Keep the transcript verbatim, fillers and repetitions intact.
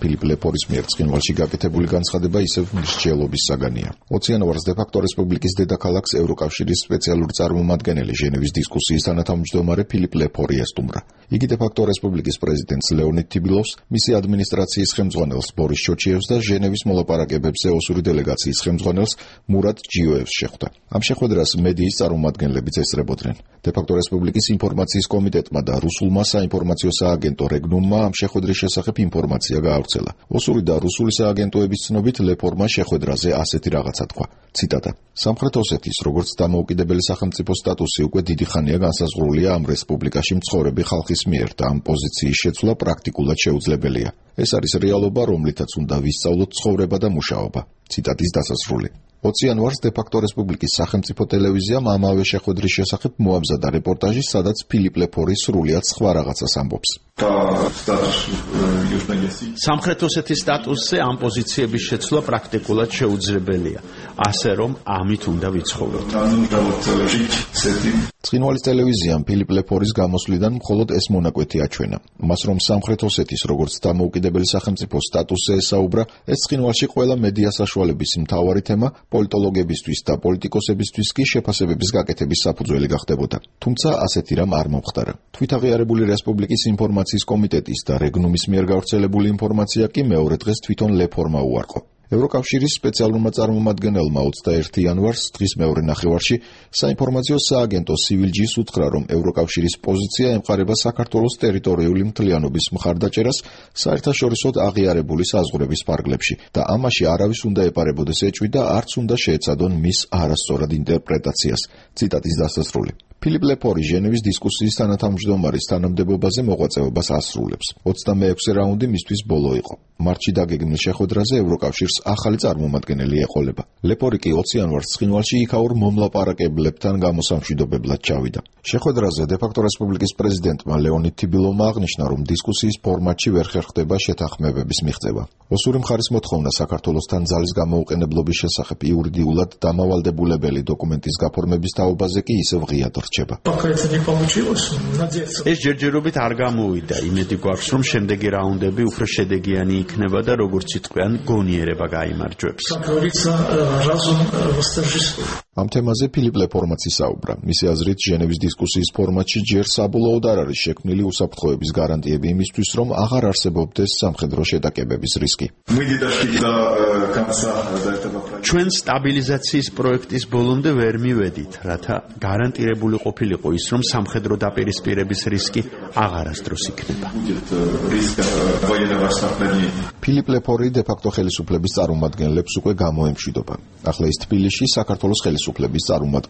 ფილიპ ლეპორის მიერ ცხინვალში გაკეთებული განცხადება ისევ მსჯელობის საგანია. ოციანოვარს დე-ფაქტო რესპუბლიკის დედაქალაქს ევროკავშირის სპეციალური წარმომადგენელი ჟენევის დისკუსიის თანათავმჯდომარე ფილიპ ლეპორი ესტუმრა. იგი დე-ფაქტო რესპუბლიკის პრეზიდენტს ლეონიდ თიბილოვს, მისი ადმინისტრაციის ხელმძღვანელს ბორის ჩოჩიევს და ჟენევის მოლაპარაკებებზე ოსური დელეგაციის ხელმძღვანელს მურატ ჯიოევს შეხვდა. ამ შეხვედრას მედიის წარმომადგენლებიც ესწრებოდნენ. დე-ფაქტო რესპუბლიკის ინფორმაციის კომიტეტმა და რუსულმა საინფორმაციო სააგენტო რეგნუმმა ამ შეხვედრის შესახებ ინფორმაცია გაავრცელა. ოსური და რუსული სააგენტოების ცნობით ლეპორმა შეხვედრაზე ასეთი რაღაცა თქვა. ციტატა: სამხრეთ ოსეთის როგორც დამოუკიდებელი სახელმწიფო სტატუსი უკვე დიდი ხანია განსაზღვრულია ამ რესპუბლიკაში მცხოვრები ხალხის მიერ და ამ პოზიციის შეცვლა პრაქტიკულად შეუძლებელია. ეს არის რეალობა, რომლითაც უნდა ვისწავლოთ ცხოვრება და მუშაობა. ციტატის დასასრული. ოციანვარს დე-ფაქტო რესპუბლიკის სახელმწიფო ტელევიზიამ ამავე შეხვედრის შესახებ მოამზადა რეპორტაჟი, სადაც ფილიპ ლეპორი სრულიად სხვა რაღაცას ამბობს. სამხრეთ ოსეთის სტატუსზე ამ პოზიციების შეცვლა პრაქტიკულად შეუძლებელია, ასე რომ ამით უნდა ვიცხოვროთ. ცხინვალის ტელევიზიამ ფილიპ ლეპორის გამოსვლიდან მხოლოდ ეს მონაკვეთი აჩვენა. მას რომ სამხრეთ ოსეთის როგორც დამოუკიდებელი სახელმწიფო სტატუსზე ესაუბრა, ეს ცხინვალში ყველა მედია საშუალების მთავარი თემა, პოლიტოლოგებისთვის და პოლიტიკოსებისთვის კი შეფასებების გაკეთების საფუძველი გახდებოდა. თუმცა ასეთი რამ არ მომხდარა. თვითაღიარებული რესპუბლიკის ინფორმაციის კომიტეტის და რეგნუმის მიერ გავრცელებული ინფორმაცია კი მეორე დღეს თვითონ ლეპორმა უარყო. ევროკავშირის სპეციალურმა წარმომადგენელმა ოცდაერთი იანვარს დღის მეორე ნახევარში საინფორმაციო სააგენტო სივილჯის უთხრა, რომ ევროკავშირის პოზიცია ემყარება საქართველოს ტერიტორიული მთლიანობის მხარდაჭერას საერთაშორისოდ აღიარებული საზღვრების ფარგლებში და ამაში არავის უნდა ეპარებოდეს ეჭვი და არც უნდა შეეცადონ მის არასწორად ინტერპრეტაციას. ციტატის დასასრული. ფილიპ ლეპორი ჟენევის დისკუსიის თანათავმჯდომარის თანამდებობაზე მოღვაწეობას ასრულებს. ოცდამეექვსე რაუნდი მისთვის ბოლო იყო. მარტში დაგეგმილ შეხვედრაზე ევროკავშირს ახალი წარმომადგენელი ეყოლება. ლეპორი კი ოციანვარს ცხინვალში იქაურ მომლაპარაკებლებთან გამოსამშვიდობებლად ჩავიდა. შეხვედრაზე დე-ფაქტო რესპუბლიკის პრეზიდენტმა ლეონიდ თიბილოვმა აღნიშნა, რომ დისკუსიის ფორმატში ვერ ხერხდება შეთანხმებების მიღწევა. ოსური მხარის მოთხოვნა საქართველოსთან ძალის გამოუყენებლობის შესახებ იურიდიულად დამავალდებულებელი დოკუმენტის გაფორმების თაობაზე კი ისევ ღიად რჩება. ეს ჯერჯერობით არ გამოვიდა. იმედი გვაქვს, რომ შემდეგი რაუნდები უფრო შედეგიანი იქნება და როგორც იტყვიან, გონიერება გაიმარჯვებს. ამ თემაზე ფილიპ ლეპორმაც ისაუბრა. მისი აზრით, ჟენევის დისკუსიის ფორმატში ჯერ საბოლოოდ არ არის შექმნილი უსაფრთხოების გარანტიები იმისთვის, რომ აღარ არსებობდეს სამხედრო შეტაკებების რისკი. ჩვენ სტაბილიზაციის პროექტის ბოლომდე ვერ მივედით, რათა გარანტირებული ყოფილიყო ის, რომ სამხედრო დაპირისპირების რისკი აღარასდროს იქნება. ფილიპ ლეპორი დე-ფაქტო ხელისუფლების წარმომადგენლებს უკვე გამოემშვიდობა. ახლა ის თბილისში საქართველოს ხელისუფლების წარმომადგენლებს